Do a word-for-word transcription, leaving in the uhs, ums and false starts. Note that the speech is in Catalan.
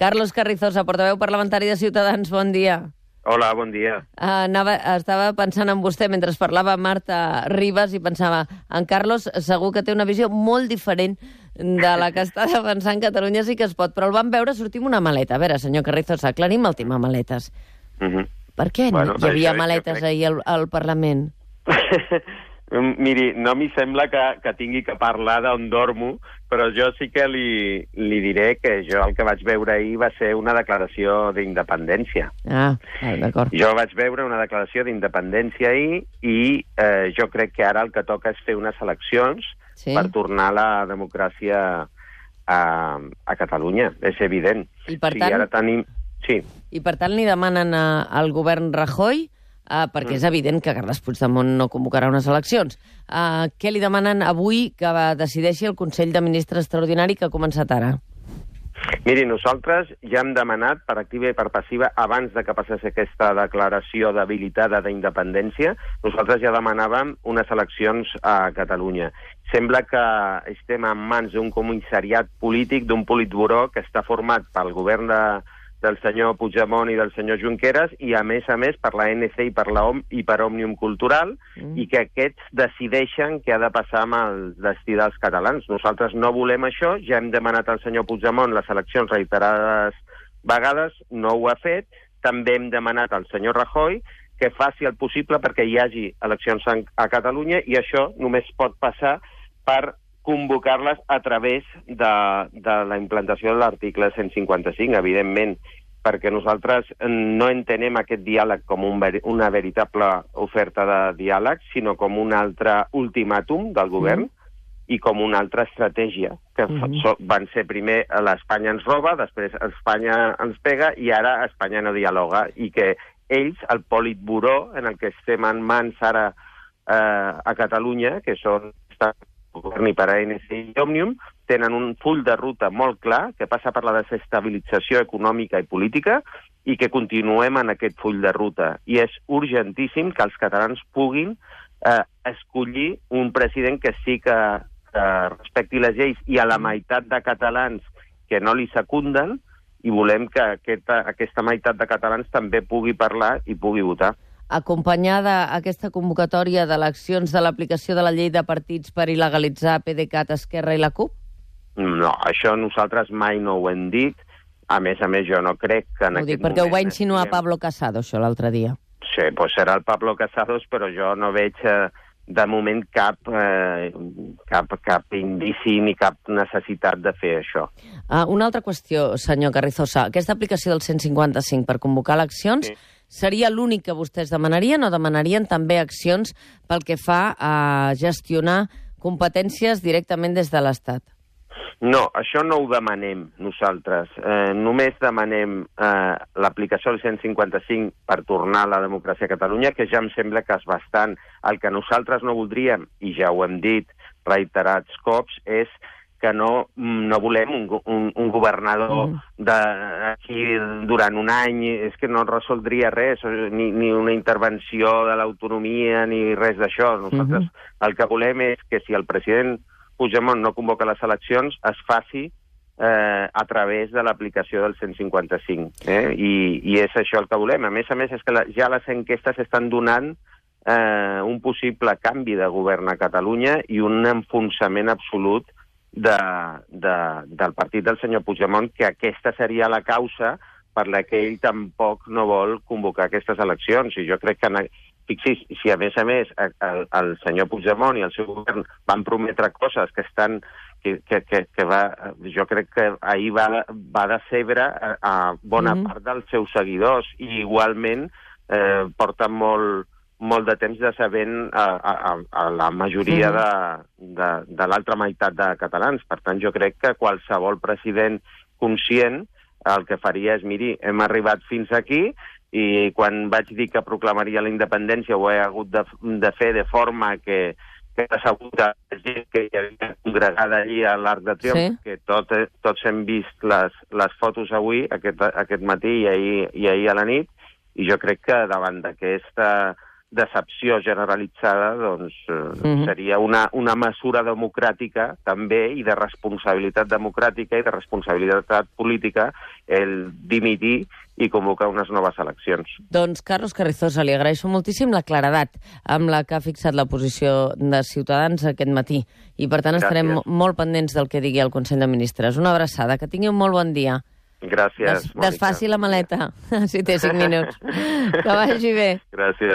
Carlos Carrizosa, portaveu parlamentari de Ciutadans, bon dia. Hola, bon dia. Uh, anava, estava pensant en vostè mentre parlava Marta Ribas i pensava, en Carlos segur que té una visió molt diferent de la que està defensant Catalunya sí que es pot, però el vam veure sortir amb una maleta. A veure, senyor Carrizosa, aclarim el tema maletes. Uh -huh. Per què bueno, hi havia maletes crec... ahir al, al Parlament? Miri, no m'hi sembla que, que tingui que parlar d'on dormo, però jo sí que li, li diré que jo el que vaig veure ahir va ser una declaració d'independència. Ah, d'acord. Jo vaig veure una declaració d'independència ahir i eh, jo crec que ara el que toca és fer unes eleccions sí? per tornar la democràcia a, a Catalunya. És evident. I per tant, sí, ara tenim... sí. I per tant li demanen a, al govern Rajoy... Uh, perquè és evident que Carles Puigdemont no convocarà unes eleccions. Uh, què li demanen avui que decideixi el Consell de Ministres extraordinari que ha començat ara? Miri, nosaltres ja hem demanat per activa i per passiva, abans de que passés aquesta declaració d'habilitada d'independència, nosaltres ja demanàvem unes eleccions a Catalunya. Sembla que estem en mans d'un comissariat polític, d'un politburó que està format pel govern de del senyor Puigdemont i del senyor Junqueras, i a més a més per la A N C i per la O M i per Òmnium Cultural, mm. i que aquests decideixen què ha de passar amb el destí dels catalans. Nosaltres no volem això, ja hem demanat al senyor Puigdemont les eleccions reiterades vegades, no ho ha fet, també hem demanat al senyor Rajoy que faci el possible perquè hi hagi eleccions a Catalunya, i això només pot passar per convocar-les a través de, de la implantació de l'article cent cinquanta-cinc, evidentment, perquè nosaltres no entenem aquest diàleg com un, una veritable oferta de diàleg, sinó com un altre ultimàtum del govern mm. i com una altra estratègia, que mm. so, van ser primer l'Espanya ens roba, després Espanya ens pega i ara Espanya no dialoga, i que ells, el politburó en el que estem en mans ara eh, a Catalunya, que són govern i per A N C i Òmnium, tenen un full de ruta molt clar que passa per la desestabilització econòmica i política i que continuem en aquest full de ruta. I és urgentíssim que els catalans puguin eh, escollir un president que sí que, que respecti les lleis, i a la meitat de catalans que no li secunden, i volem que aquesta, aquesta meitat de catalans també pugui parlar i pugui votar. Acompanyada aquesta convocatòria d'eleccions de l'aplicació de la llei de partits per il·legalitzar PDeCAT, Esquerra i la CUP? No, això nosaltres mai no ho hem dit. A més a més, jo no crec que en ho aquest dic perquè moment... ho va insinuar estiguem... Pablo Casado, això, l'altre dia. Sí, doncs serà el Pablo Casado, però jo no veig eh, de moment cap, eh, cap, cap indici ni cap necessitat de fer això. Uh, una altra qüestió, senyor Carrizosa. Aquesta aplicació del cent cinquanta-cinc per convocar eleccions... Sí. Seria l'únic que vostès demanarien, o demanarien també accions pel que fa a gestionar competències directament des de l'Estat? No, això no ho demanem nosaltres. Eh, només demanem eh, l'aplicació del cent cinquanta-cinc per tornar a la democràcia a Catalunya, que ja em sembla que és bastant. El que nosaltres no voldríem, i ja ho hem dit reiterats cops, és que no, no volem un, un, un governador mm. d'aquí durant un any, és que no resoldria res, ni, ni una intervenció de l'autonomia, ni res d'això. Nosaltres mm-hmm. el que volem és que si el president Puigdemont no convoca les eleccions, es faci eh, a través de l'aplicació del cent cinquanta-cinc. Eh? I, I és això el que volem. A més a més, és que la, ja les enquestes estan donant eh, un possible canvi de govern a Catalunya i un enfonsament absolut De, de, del partit del senyor Puigdemont, que aquesta seria la causa per la que ell tampoc no vol convocar aquestes eleccions. I jo crec que, fixis, si a més a més el, el senyor Puigdemont i el seu govern van prometre coses que estan, que, que, que, que va, jo crec que ahir va, va decebre a, a bona mm-hmm. part dels seus seguidors, i igualment eh, porten molt molt de temps de sabent a, a, a la majoria de, de, de l'altra meitat de catalans. Per tant, jo crec que qualsevol president conscient el que faria és, miri, hem arribat fins aquí, i quan vaig dir que proclamaria la independència ho he hagut de, de fer de forma que, que ha sabut la gent que hi havia congregada allí a l'Arc de Triomf, sí. que tot, tots hem vist les, les fotos avui, aquest, aquest matí i ahir, i ahir a la nit, i jo crec que davant d'aquesta decepció generalitzada, doncs eh, Mhm. seria una, una mesura democràtica també i de responsabilitat democràtica i de responsabilitat política el dimitir i convocar unes noves eleccions. Doncs, Carlos Carrizosa, li agraeixo moltíssim la claredat amb la que ha fixat la posició de Ciutadans aquest matí. I, per tant, estarem Gràcies. molt pendents del que digui el Consell de Ministres. Una abraçada. Que tingui un molt bon dia. Gràcies, Des, Mònica. desfaci la maleta, si té cinc minuts. Que vagi bé. Gràcies.